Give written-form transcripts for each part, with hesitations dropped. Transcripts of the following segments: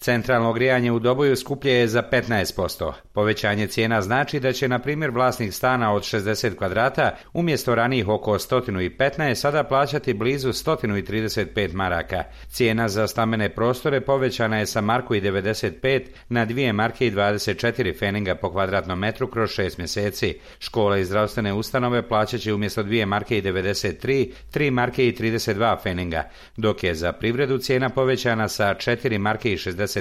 Centralno grijanje u Doboju skuplje je za 15%. Povećanje cijena znači da će, na primjer, vlasnik stana od 60 kvadrata umjesto ranijih oko 115 sada plaćati blizu 135 maraka. Cijena za stambene prostore povećana je sa marku i 95 na 2 marke i 24 feninga po kvadratnom metru kroz 6 mjeseci. Škole i zdravstvene ustanove plaćat će umjesto 2 marke i 93, 3 marke i 32 feninga, dok je za privredu cijena povećana sa 4 marke i 68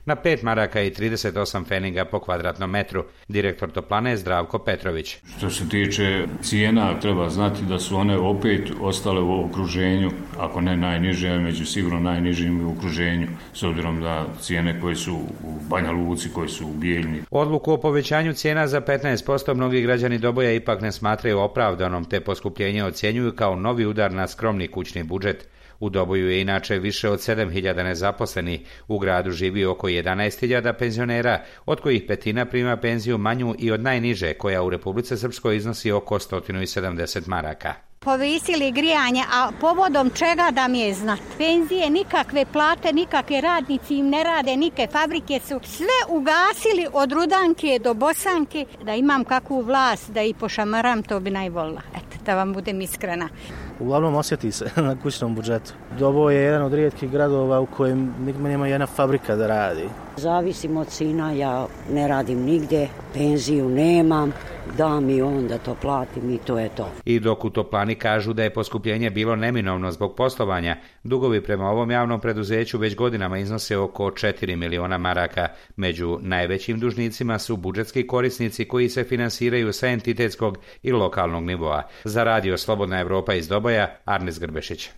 na 5 maraka i 38 feninga po kvadratnom metru. Direktor toplane je Zdravko Petrović. Što se tiče cijena, treba znati da su one opet ostale u okruženju, ako ne najniže, među sigurno najnižim u okruženju, s obzirom da cijene koje su u Banja Luci, koje su u Bijeljni. Odluku o povećanju cijena za 15% mnogi građani Doboja ipak ne smatraju opravdanom, te poskupljenje ocjenjuju kao novi udar na skromni kućni budžet. U Doboju je inače više od 7.000 nezaposlenih, u gradu živi oko 11.000 penzionera, od kojih petina prima penziju manju i od najniže, koja u Republici Srpskoj iznosi oko 170 maraka. Povisili grijanje, a povodom čega da mi je znat? Penzije nikakve, plate nikakve, radnici im ne rade, nike fabrike su sve ugasili od Rudanke do Bosanke. Da imam kakvu vlast da i pošamaram, to bi najvolila. Eto, da vam budem iskrena. Uglavnom osjeti se na kućnom budžetu. Doboj je jedan od rijetkih gradova u kojem nema jedna fabrika da radi. Zavisim od sina, ja ne radim nigdje, penziju nemam, da mi on da to platim i to je to. I dok u toplani kažu da je poskupljenje bilo neminovno zbog poslovanja, dugovi prema ovom javnom preduzeću već godinama iznose oko 4 miliona maraka. Među najvećim dužnicima su budžetski korisnici koji se finansiraju sa entitetskog i lokalnog nivoa. Za radio Slobodna Evropa iz Doboja, Arnis Grbešić.